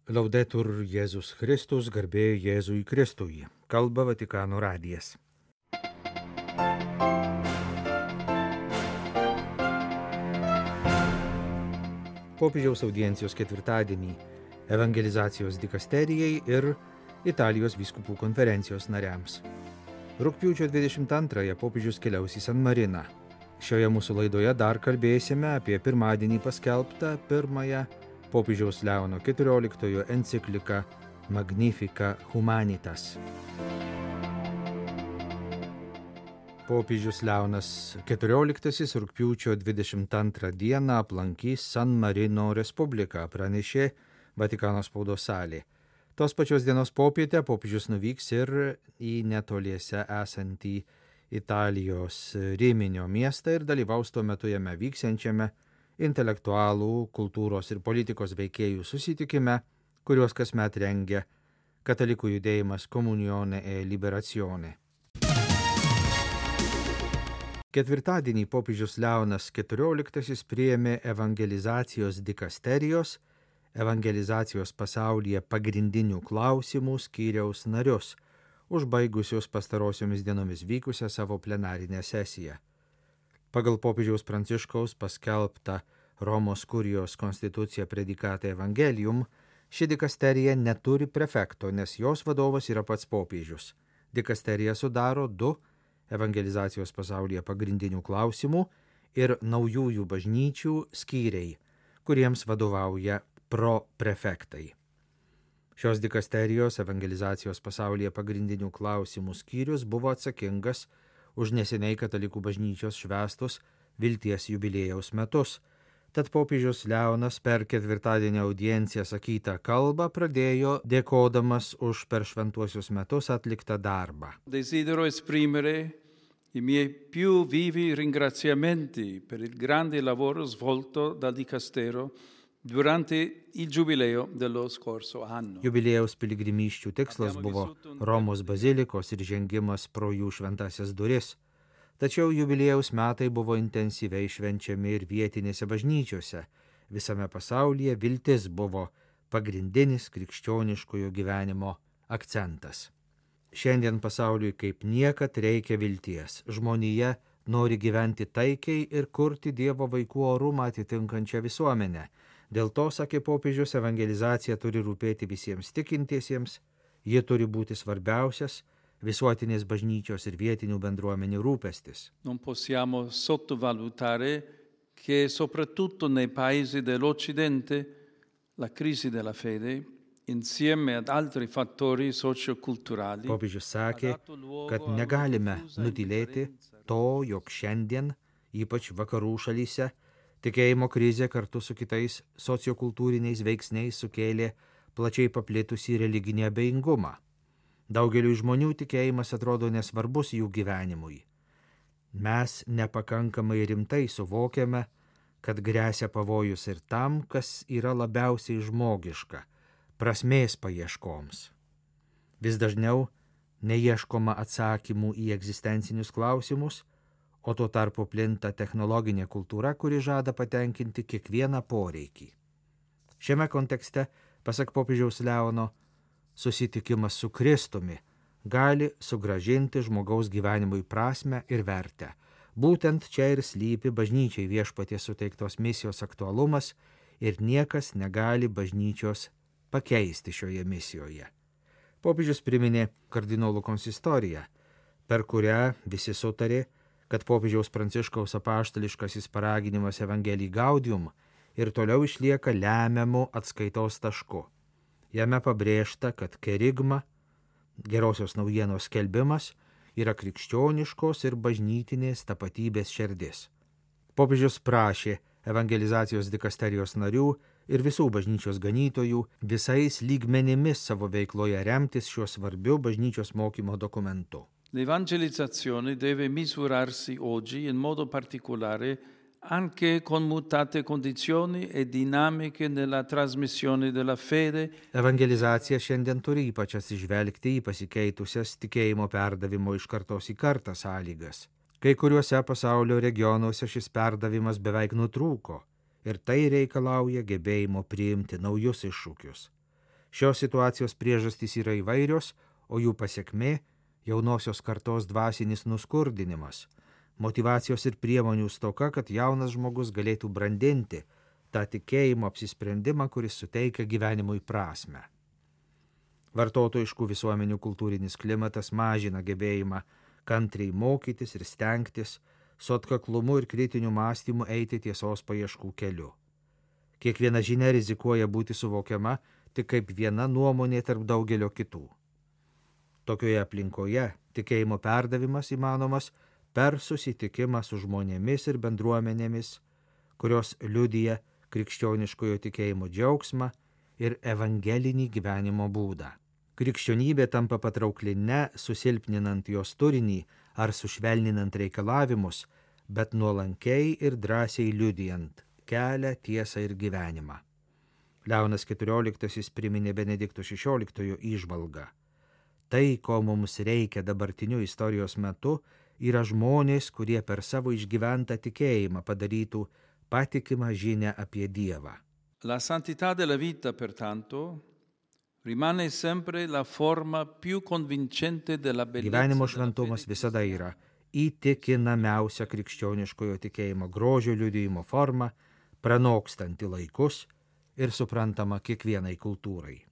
Laudetur Jėzus Kristus, garbė Jėzui Kristui. Kalba Vatikano radijas. Popiežiaus audiencijos ketvirtadienį evangelizacijos dikasterijai ir Italijos vyskupų konferencijos nariams. Rugpjūčio 22-ąją popiežius keliaus į San Mariną. Šioje mūsų laidoje dar kalbėsime apie pirmadienį paskelbtą pirmąją popiežiaus Leono XIV encikliką Magnificat Humanitas. Popiežius Leonas XIV rugpjūčio 22 dieną aplankys San Marino Respubliką, pranešė Vatikano spaudos salė. Tos pačios dienos popietę popiežius nuvyks ir į netoliese esantį Italijos Riminio miestą ir dalyvaus tuo metu jame vyksiančiame intelektualų, kultūros ir politikos veikėjų susitikime, kuriuos kasmet rengia katalikų judėjimas Comunione e Liberazione. Ketvirtadienį popiežius Leonas XIV priėmė evangelizacijos dikasterijos, evangelizacijos pasaulyje pagrindinių klausimų skyriaus narius, užbaigusius pastarosiomis dienomis vykusią savo plenarinę sesiją. Pagal popiežiaus Pranciškaus paskelbtą Romos kurijos konstituciją Predikate Evangelium, ši dikasterija neturi prefekto, nes jos vadovas yra pats popiežius. Dikasterija sudaro 2 evangelizacijos pasaulyje pagrindinių klausimų ir naujųjų bažnyčių skyriai, kuriems vadovauja proprefektai. Šios dikasterijos evangelizacijos pasaulyje pagrindinių klausimų skyrius buvo atsakingas už neseniai katalikų bažnyčios švęstus vilties jubiliejaus metus. Tad popiežius Leonas per ketvirtadienio audienciją sakytą kalbą pradėjo dėkodamas už per šventuosius metus atliktą darbą. Desidero esprimere i miei più vivi ringraziamenti per il grande lavoro svolto dal dicastero durante il giubileo dello scorso anno. Jubiliejaus piligrimysčių tikslas buvo Romos bazilikos ir žengimas pro jų šventasias duris. Tačiau jubiliejaus metai buvo intensyviai švenčiami ir vietinėse bažnyčiose. Visame pasaulyje viltis buvo pagrindinis krikščioniškojo gyvenimo akcentas. Šiandien pasauliui kaip niekad reikia vilties. Žmonija nori gyventi taikiai ir kurti Dievo vaikų orumą atitinkančią visuomenę. Dėl to, sakė popiežius, evangelizacija turi rūpėti visiems tikintiesiems, ji turi būti svarbiausias visuotinės bažnyčios ir vietinių bendruomenių rūpestis. Non possiamo sottovalutare che soprattutto nei paesi dell'Occidente la crisi della fede insieme ad altri fattori socioculturali. Popiežius sakė, kad negalime nutylėti to, jog šiandien, ypač vakarų šalyse, tikėjimo krizė kartu su kitais sociokultūriniais veiksniais sukėlė plačiai paplitusį religinį abejingumą. Daugeliui žmonių tikėjimas atrodo nesvarbus jų gyvenimui. Mes nepakankamai rimtai suvokiame, kad gresia pavojus ir tam, kas yra labiausiai žmogiška – prasmės paieškoms. Vis dažniau neieškoma atsakymų į egzistencinius klausimus, o tuo tarpu plinta technologinė kultūra, kuri žada patenkinti kiekvieną poreikį. Šiame kontekste, pasak popiežiaus Leono, susitikimas su Kristumi gali sugrąžinti žmogaus gyvenimui prasmę ir vertę. Būtent čia ir slypi bažnyčiai viešpaties suteiktos misijos aktualumas ir niekas negali bažnyčios pakeisti šioje misijoje. Popiežius priminė kardinolų konsistoriją, per kurią visi sutarė, kad popiežiaus Pranciškaus apaštališkasis paraginimas Evangelii Gaudium ir toliau išlieka lemiamu atskaitos tašku. Jame pabrėžta, kad kerigma, gerosios naujienos skelbimas, yra krikščioniškos ir bažnytinės tapatybės šerdis. Popiežius prašė evangelizacijos dikasterijos narių ir visų bažnyčios ganytojų visais lygmenimis savo veikloje remtis šiuo svarbiu bažnyčios mokymo dokumentu. L'evangelizzazione deve misurarsi oggi in modo particolare anche con mutate condizioni e dinamiche nella trasmissione della fede. Evangelizacija šiandien turi ypač atsižvelgti į pasikeitusias tikėjimo perdavimo iš kartos į kartą sąlygas. Kai kuriuose pasaulio regionuose šis perdavimas beveik nutrūko ir tai reikalauja gebėjimo priimti naujus iššūkius. Šios situacijos priežastys yra įvairios, o jų pasekmė – jaunosios kartos dvasinis nuskurdinimas, motyvacijos ir priemonių stoka, kad jaunas žmogus galėtų brandinti tą tikėjimo apsisprendimą, kuris suteikia gyvenimui prasmę. Vartotojiškų visuomenių kultūrinis klimatas mažina gebėjimą kantriai mokytis ir stengtis, su atkaklumu ir kritiniu mąstymu eiti tiesos paieškų keliu. Kiekviena žinia rizikuoja būti suvokiama tik kaip viena nuomonė tarp daugelio kitų. Tokioje aplinkoje tikėjimo perdavimas įmanomas per susitikimą su žmonėmis ir bendruomenėmis, kurios liudija krikščioniškojo tikėjimo džiaugsmą ir evangelinį gyvenimo būdą. Krikščionybė tampa patraukli ne susilpninant jos turinį ar sušvelninant reikalavimus, bet nuolankiai ir drąsiai liudijant kelią, tiesą ir gyvenimą. Leonas XIV priminė Benedikto XVI įžvalgą. Tai, ko mums reikia dabartiniu istorijos metu, yra žmonės, kurie per savo išgyventą tikėjimą padarytų patikimą žinią apie Dievą. La santità della vita, pertanto, rimane sempre la forma più convincente della bellezza. Gyvenimo šventumas visada yra įtikinamiausia krikščioniškojo tikėjimo grožio liudijimo forma, pranokstanti laikus ir suprantama kiekvienai kultūrai.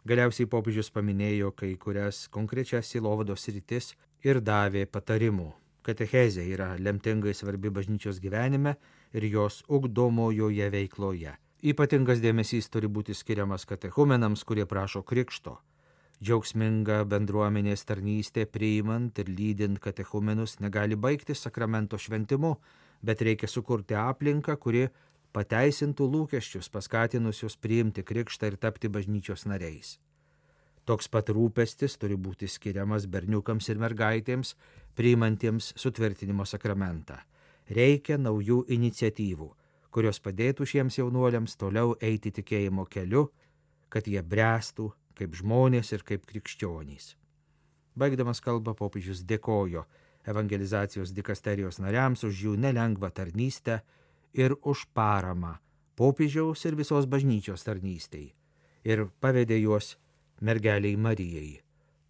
Galiausiai popiežius paminėjo kai kurias konkrečias sielovados sritis ir davė patarimų. Katechezė yra lemtingai svarbi bažnyčios gyvenime ir jos ugdomojoje veikloje. Ypatingas dėmesys turi būti skiriamas katechumenams, kurie prašo krikšto. Džiaugsminga bendruomenės tarnystė priimant ir lydint katechumenus negali baigtis sakramento šventimu, bet reikia sukurti aplinką, kuri pateisintų lūkesčius, paskatinusius priimti krikštą ir tapti bažnyčios nariais. Toks pat rūpestis turi būti skiriamas berniukams ir mergaitėms, priimantiems sutvirtinimo sakramentą. Reikia naujų iniciatyvų, kurios padėtų šiems jaunuoliams toliau eiti tikėjimo keliu, kad jie bręstų kaip žmonės ir kaip krikščionys. Baigdamas kalbą popiežius dėkojo evangelizacijos dikasterijos nariams už jų nelengvą tarnystę ir už paramą popiežiaus ir visos bažnyčios tarnystei ir pavedė juos mergeliai Marijai,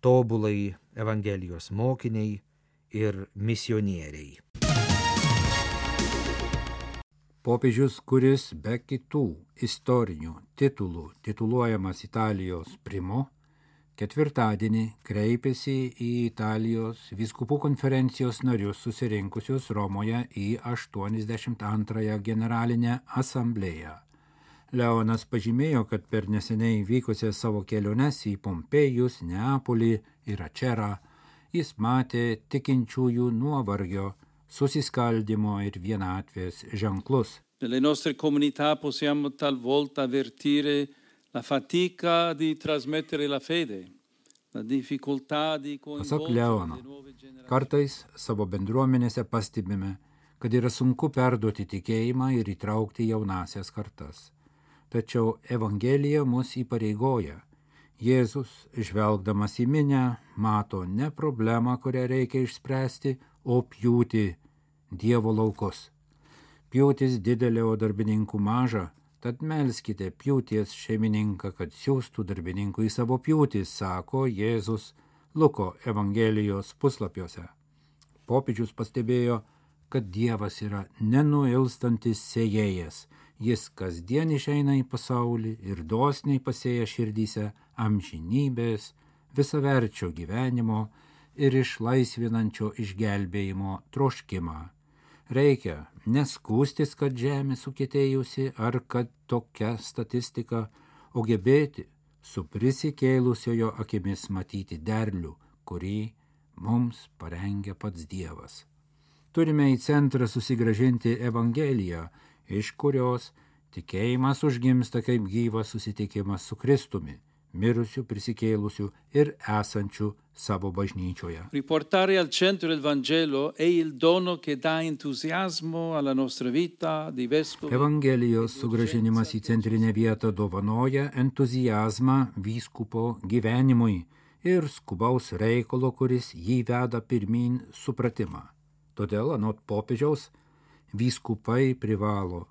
tobulai evangelijos mokiniai ir misionieriai. Popiežius, kuris be kitų istorinių titulų tituluojamas Italijos primu, ketvirtadienį kreipėsi į Italijos vyskupų konferencijos narius susirinkusius Romoje į 82 generalinę asamblėją. Leonas pažymėjo, kad per neseniai vykusias savo keliones į Pompėjus, Neapolį ir Ačerą jis matė tikinčiųjų nuovargio, susiskaldimo ir vienatvės ženklus. Nelle nostre comunità possiamo talvolta avvertire la fatica di trasmettere la fede, la difficoltà di Pasak Leono, kartais savo bendruomenėse pastebime, kad yra sunku perduoti tikėjimą ir įtraukti jaunasias kartas. Tačiau Evangelija mus įpareigoja. Jėzus, žvelgdamas į minią, mato ne problemą, kurią reikia išspręsti, o pjūtį, Dievo laukus. Pjūtis didelė, o darbininkų maža, tad melskite pjūties šeimininką, kad siųstų darbininkų į savo pjūtį, sako Jėzus Luko Evangelijos puslapiuose. Popiežius pastebėjo, kad Dievas yra nenuilstantis sėjėjas. Jis kasdien išeina į pasaulį ir dosniai pasėja širdyse amžinybės, visaverčio gyvenimo ir išlaisvinančio išgelbėjimo troškimą. Reikia neskūstis, kad žemė sukietėjusi ar kad tokia statistika, o gebėti su prisikėlusiojo akimis matyti derlių, kurį mums parengia pats Dievas. Turime į centrą susigrąžinti Evangeliją, iš kurios tikėjimas užgimsta kaip gyvas susitikimas su Kristumi, mirusių, prisikėlusių ir esančių savo bažnyčioje. Riportare al centro il Vangelo è il dono che dà entusiasmo alla nostra vita di vescovi. Evangelijos sugrąžinimas į centrinę vietą dovanoja entuziazmą vyskupo gyvenimui ir skubaus reikalo, kuris jį veda pirmyn supratimą. Todėl, anot popiežiaus, vyskupai privalo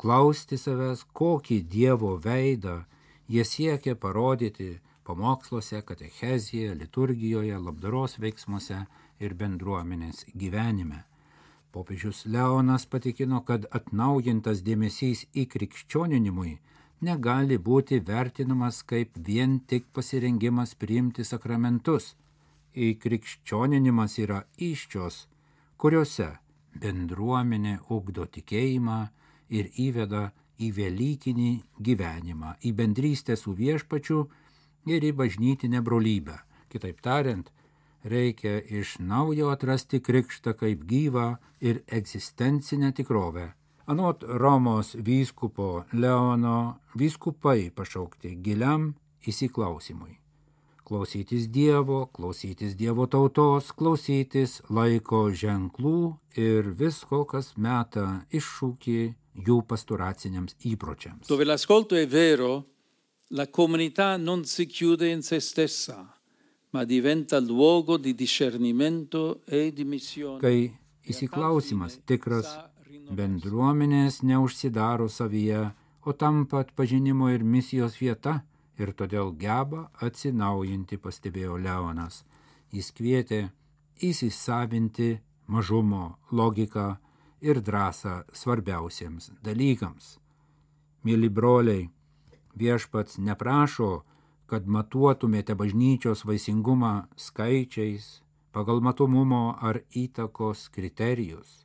klausti savęs, kokį Dievo veidą Jie siekia parodyti pamoksluose, katechezijoje, liturgijoje, labdaros veiksmuose ir bendruomenės gyvenime. Popiežius Leonas patikino, kad atnaujintas dėmesys į krikščioninimui negali būti vertinamas kaip vien tik pasirengimas priimti sakramentus. Krikščioninimas yra įsčios, kuriuose bendruomenė ugdo tikėjimą ir įveda į velykinį gyvenimą, į bendrystę su viešpačiu ir į bažnytinę brolybę. Kitaip tariant, reikia iš naujo atrasti krikštą kaip gyvą ir egzistencinę tikrovę. Anot Romos vyskupo Leono, vyskupai pašaukti giliam įsiklausimui. Klausytis Dievo, klausytis Dievo tautos, klausytis laiko ženklų ir visko, kas meta iššūkį jų pastoraciniams įpročiams. Dove l'ascolto è vero, la comunità non si chiude in se stessa, ma diventa luogo di discernimento e di missione. Kai įsiklausimas tikras, bendruomenės neužsidaro savyje, o tampa atpažinimo ir misijos vieta ir todėl geba atsinaujinti, pastebėjo Leonas. Jis kvietė įsisavinti mažumo logiką ir drąsą svarbiausiems dalykams. Mėly broliai, viešpats neprašo, kad matuotumėte bažnyčios vaisingumą skaičiais, pagal matomumo ar įtakos kriterijus.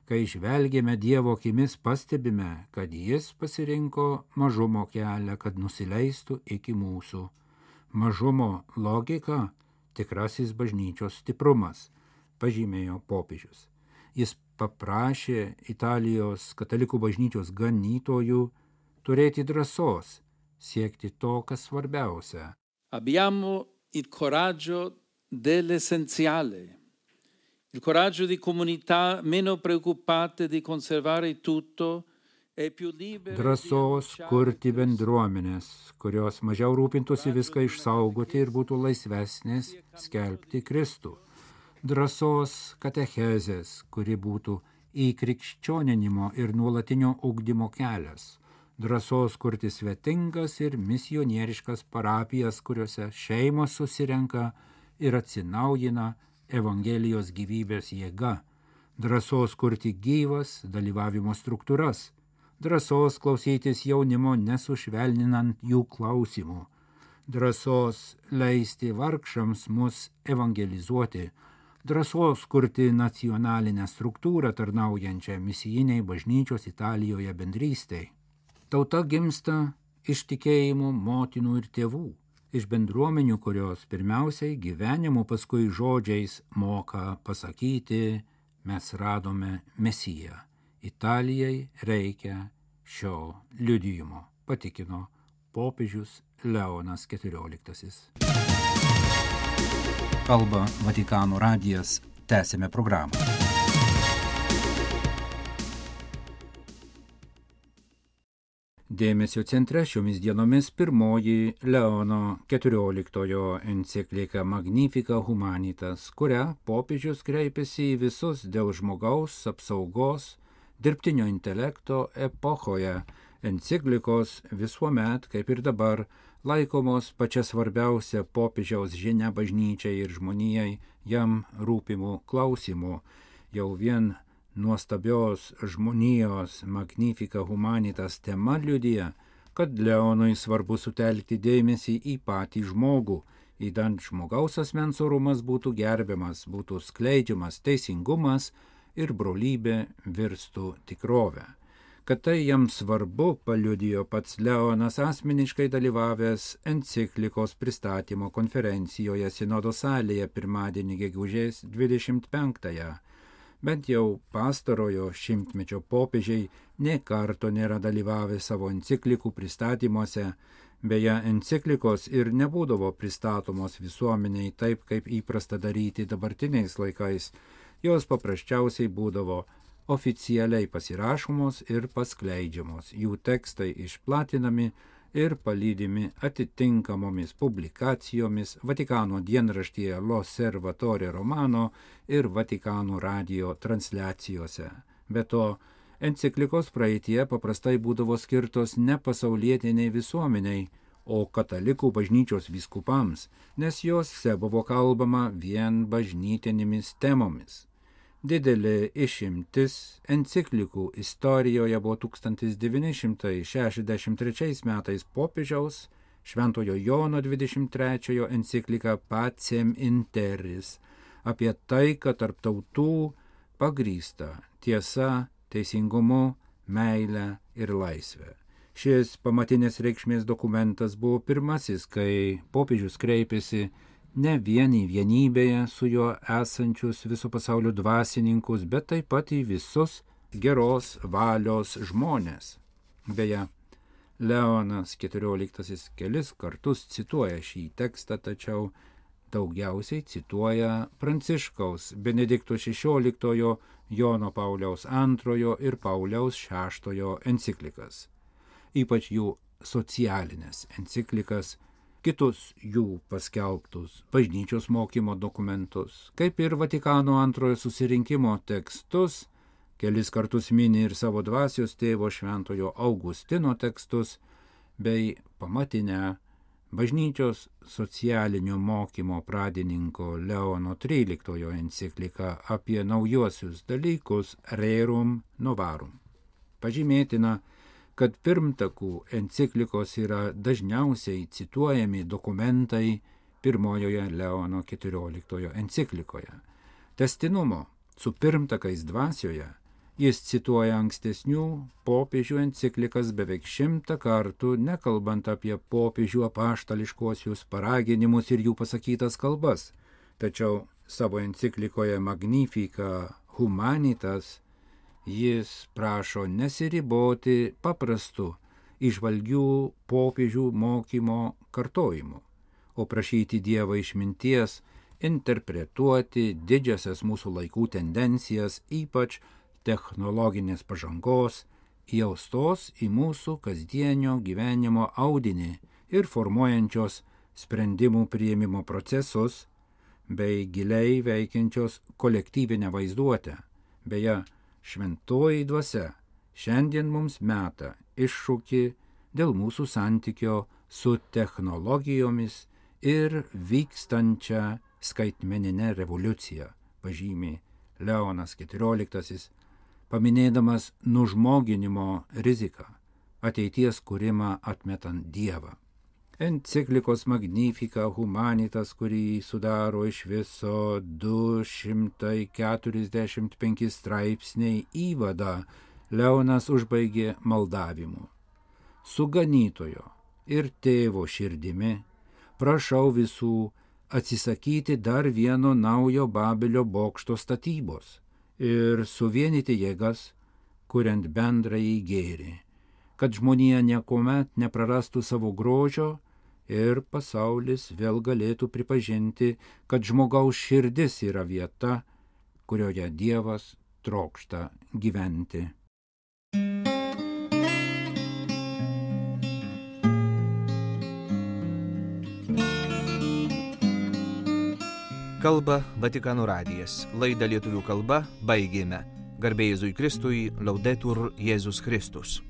Kai žvelgėme Dievo akimis, pastebime, kad jis pasirinko mažumo kelią, kad nusileistų iki mūsų. Mažumo logika – tikrasis bažnyčios stiprumas, pažymėjo popiežius. Jis paprašė Italijos katalikų bažnyčios ganytojų turėti drąsos, siekti to, kas svarbiausia. Abbiamo il coraggio dell'essenziale. Il coraggio di comunità meno preoccupate di conservare tutto e più libere. Drąsos kurti bendruomenės, kurios mažiau rūpintųsi viską išsaugoti ir būtų laisvesnės skelbti Kristų. Drąsos katechezės, kuri būtų įkrikščioninimo ir nuolatinio ugdymo kelias. Drąsos kurti svetingas ir misionieriškas parapijas, kuriuose šeimos susirenka ir atsinaujina Evangelijos gyvybės jėga, drąsos kurti gyvas dalyvavimo struktūras, drąsos klausytis jaunimo nesušvelninant jų klausimų, drąsos leisti vargšams mus evangelizuoti, drąsos kurti nacionalinę struktūrą tarnaujančią misijiniai bažnyčios Italijoje bendrystei. Tauta gimsta iš tikėjimo motinų ir tėvų. Iš bendruomenių, kurios pirmiausiai gyvenimu, paskui žodžiais moka pasakyti, mes radome Mesiją. Italijai reikia šio liudijimo, patikino popiežius Leonas XIV. Kalba Vatikano radijas, tęsime programą. Dėmesio centre šiomis dienomis pirmoji Leono XIV enciklika Magnificat Humanitas, kuria popiežius kreipėsi į visus dėl žmogaus apsaugos dirbtinio intelekto epochoje. Enciklikos visuomet, kaip ir dabar, laikomos pačia svarbiausia popiežiaus žinia bažnyčiai ir žmonijai jam rūpimų klausimų. Jau vien nuostabios žmonijos Magnificat Humanitas tema liudija, kad Leonui svarbu sutelkti dėmesį į patį žmogų, idant žmogaus asmens orumas būtų gerbiamas, būtų skleidžiamas teisingumas ir brolybė virstų tikrovę. Kad tai jam svarbu, paliudijo pats Leonas asmeniškai dalyvavęs enciklikos pristatymo konferencijoje Sinodo salėje pirmadienį gegužės 25-ąją. Bent jau pastarojo šimtmečio popiežiai nė karto nėra dalyvavę savo enciklikų pristatymuose, beje, enciklikos ir nebūdavo pristatomos visuomeniai taip, kaip įprasta daryti dabartiniais laikais, jos paprasčiausiai būdavo oficialiai pasirašomos ir paskleidžiamos, jų tekstai išplatinami ir palydimi atitinkamomis publikacijomis Vatikano dienraštyje L'Osservatore Romano ir Vatikano radijo transliacijose. Be to, enciklikos praeitie paprastai būdavo skirtos ne pasaulietiniai visuomeniai, o katalikų bažnyčios vyskupams, nes jose buvo kalbama vien bažnytinėmis temomis. Didelė išimtis enciklikų istorijoje buvo 1963 metais popiežiaus Šventojo Jono 23 enciklika Pacem in Terris apie taiką tarp tautų pagrįstą tiesa, teisingumu, meile ir laisvę. Šis pamatinės reikšmės dokumentas buvo pirmasis, kai popiežius kreipėsi ne vien į vienybėje su juo esančius viso pasaulio dvasininkus, bet taip pat į visus geros valios žmonės. Beje, Leonas XIV kelis kartus cituoja šį tekstą, tačiau daugiausiai cituoja Pranciškaus Benedikto XVI, Jono Pauliaus II ir Pauliaus VI enciklikas, ypač jų socialinės enciklikas, kitus jų paskelbtus bažnyčios mokymo dokumentus, kaip ir Vatikano II susirinkimo tekstus, kelis kartus mini ir savo dvasios tėvo Šventojo Augustino tekstus, bei pamatinę bažnyčios socialinio mokymo pradininko Leono XIII encikliką apie naujuosius dalykus Rerum Novarum. Pažymėtina, kad pirmtakų enciklikos yra dažniausiai cituojami dokumentai pirmojoje Leono XIV enciklikoje. Tęstinumo su pirmtakais dvasioje jis cituoja ankstesnių popiežių enciklikas beveik 100 kartų, nekalbant apie popiežių apaštališkuosius paraginimus ir jų pasakytas kalbas. Tačiau savo enciklikoje Magnifica Humanitas jis prašo nesiriboti paprastu įžvalgių popiežių mokymo kartojimu, o prašyti Dievą išminties interpretuoti didžiasias mūsų laikų tendencijas, ypač technologinės pažangos, įaustos į mūsų kasdienio gyvenimo audinį ir formuojančios sprendimų priėmimo procesus, bei giliai veikiančios kolektyvinę vaizduotę. Beje, šventoji dvasia šiandien mums meta iššūkį dėl mūsų santykio su technologijomis ir vykstančią skaitmeninę revoliuciją, pažymi Leonas XIV, paminėdamas nužmoginimo riziką, ateities kūrimą atmetant Dievą. Enciklikos Magnifica Humanitas, kurį sudaro iš viso 245 straipsniai įvadą, Leonas užbaigė maldavimu. Su ganytojo ir tėvo širdimi prašau visų atsisakyti dar vieno naujo Babelio bokšto statybos ir suvienyti jėgas, kuriant bendrąjį gėrį, kad žmonija niekuomet neprarastų savo grožio ir pasaulis vėl galėtų pripažinti, kad žmogaus širdis yra vieta, kurioje Dievas trokšta gyventi. Kalba Vatikano radijas. Laidą lietuvių kalba baigėme. Garbė Jėzui Kristui, Laudetur Jėzus Kristus.